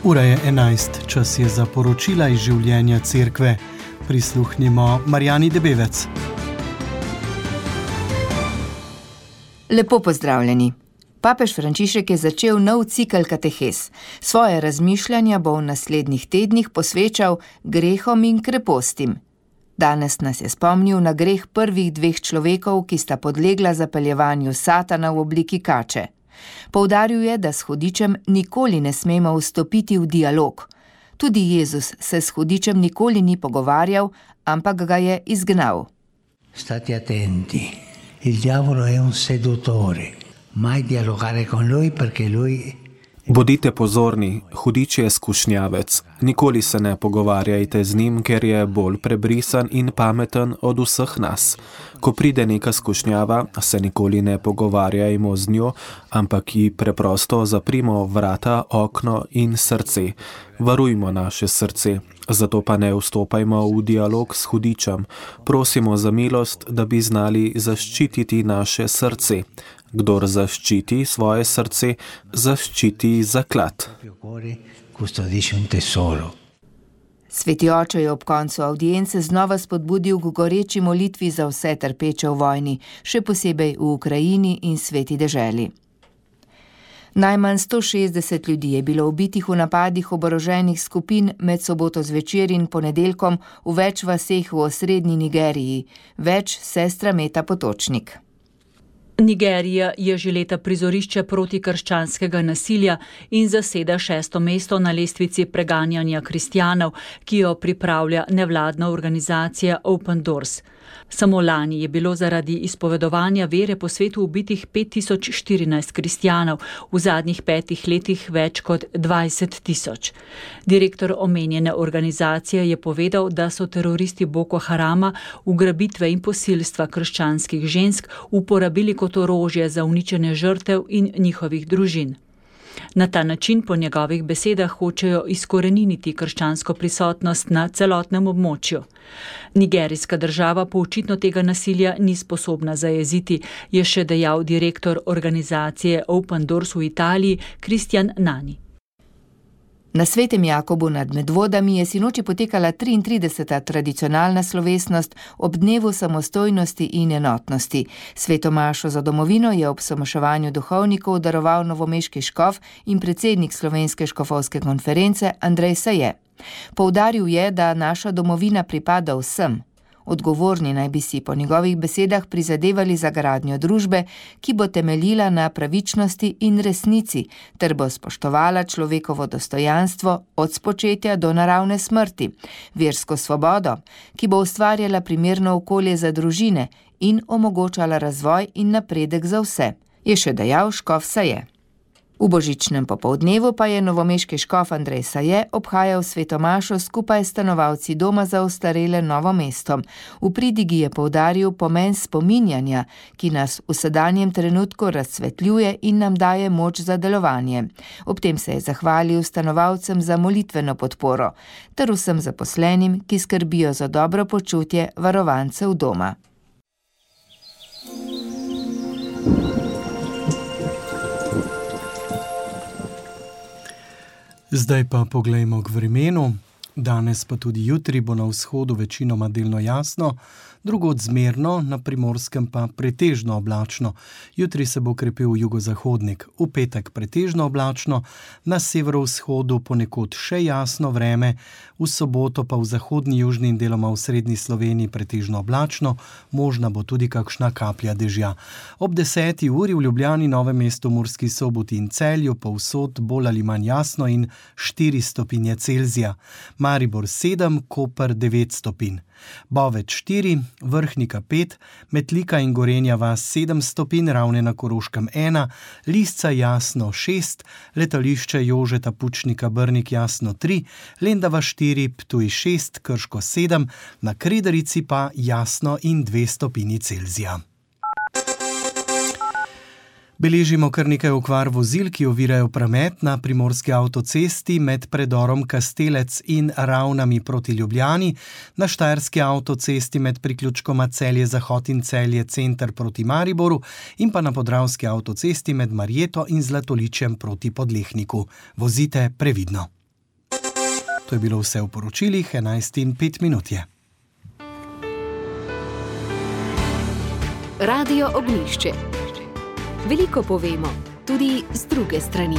Ura je 11, čas je za poročila iz življenja cerkve. Prisluhnimo Marjani Debevec. Lepo pozdravljeni. Papež Frančišek je začel nov cikel katehes. Svoje razmišljanja bo v naslednjih tednih posvečal grehom in krepostim. Danes nas je spomnil na greh prvih dveh človekov, ki sta podlegla zapeljevanju Satana v obliki kače. Poudaril je, da s hudičem nikoli ne smemo vstopiti v dialog. Tudi Jezus se s hudičem nikoli ni pogovarjal, ampak ga je izgnal. State attenti, il diavolo è un seduttore, mai dialogare con lui perché lui... Bodite pozorni, hudič je skušnjavec. Nikoli se ne pogovarjajte z njim, ker je bolj prebrisan in pameten od vseh nas. Ko pride neka skušnjava, se nikoli ne pogovarjajmo z njo, ampak ji preprosto zaprimo vrata, okno in srce. Varujmo naše srce, zato pa ne vstopajmo v dialog s hudičem. Prosimo za milost, da bi znali zaščititi naše srce. Kdor zaščiti svoje srce, zaščiti zaklad. Sveti oče je ob koncu avdience znova spodbudil k goreči molitvi za vse trpeče v vojni, še posebej v Ukrajini in sveti deželi. Najmanj 160 ljudi je bilo ubitih v napadih oboroženih skupin med soboto zvečer in ponedeljkom v več vaseh v osrednji Nigeriji, več sestra Meta Potočnik. Nigerija je že leta prizorišče protikrščanskega nasilja in zaseda 6. mesto na lestvici preganjanja kristjanov, ki jo pripravlja nevladna organizacija Open Doors. Samo lani je bilo zaradi izpovedovanja vere po svetu ubitih 5014 kristjanov, v zadnjih 5 letih več kot 20 000. Direktor omenjene organizacije je povedal, da so teroristi Boko Harama ugrabitve in posilstva krščanskih žensk uporabili kot orožje za uničenje žrtev in njihovih družin. Na ta način po njegovih besedah hočejo izkoreniniti krščansko prisotnost na celotnem območju. Nigerijska država pa očitno tega nasilja ni sposobna zajeziti, je še dejal direktor organizacije Open Doors v Italiji Kristjan Nani. Na Svetem Jakobu nad Medvodami je sinoči potekala 33. tradicionalna slovesnost ob dnevu samostojnosti in enotnosti. Sveto mašo za domovino je ob somaševanju duhovnikov daroval novomeški škof in predsednik Slovenske škofovske konference Andrej Saje. Poudaril je, da naša domovina pripada vsem. Odgovorni naj bi si po njegovih besedah prizadevali za gradnjo družbe, ki bo temeljila na pravičnosti in resnici, ter bo spoštovala človekovo dostojanstvo od spočetja do naravne smrti, versko svobodo, ki bo ustvarjala primerno okolje za družine in omogočala razvoj in napredek za vse, je še dejal škof Saje. V božičnem popoldnevu pa je novomeški škof Andrej Saje obhajal sveto mašo skupaj s stanovalci doma za ostarele Novo mesto. V pridigi je poudaril pomen spominjanja, ki nas v sedanjem trenutku razsvetljuje in nam daje moč za delovanje. Ob tem se je zahvalil stanovalcem za molitveno podporo, ter vsem zaposlenim, ki skrbijo za dobro počutje varovancev doma. Zdaj pa poglejmo k vremenu. Danes pa tudi jutri bo na vzhodu večinoma delno jasno, drugod zmerno, na Primorskem pa pretežno oblačno. Jutri se bo krepil jugozahodnik, v petek pretežno oblačno, na severovzhodu ponekod še jasno vreme, v soboto pa v zahodni, južni in deloma v srednji Sloveniji pretežno oblačno, možna bo tudi kakšna kaplja dežja. Ob 10. uri v Ljubljani, Novem mestu, Murski Soboti in Celju povsod bolj ali manj jasno in 4 stopinje Celzija. Maribor 7, Koper 9 stopinj. Boveč 4, Vrhnika 5, Metlika in Gorenja vas 7 stopinj, Ravne na Koroškem 1, Lisca jasno 6, Letališče Jožeta Pučnika Brnik jasno 3, Lendava 4, Ptuj 6, Krško 7, na Kredarici pa jasno in 2 stopinji Celzija. Beležimo kar nekaj okvar vozil, ki ovirajo promet na primorski avtocesti med predorom Kastelec in Ravnami proti Ljubljani, na štajerski avtocesti med priključkoma Celje-Zahod in Celje-Center proti Mariboru in pa na podravski avtocesti med Marjeto in Zlatoličjem proti Podlehniku. Vozite previdno. To je bilo vse v poročilih, 11:05 je. Radio Ognjišče. Veliko povemo, tudi z druge strani.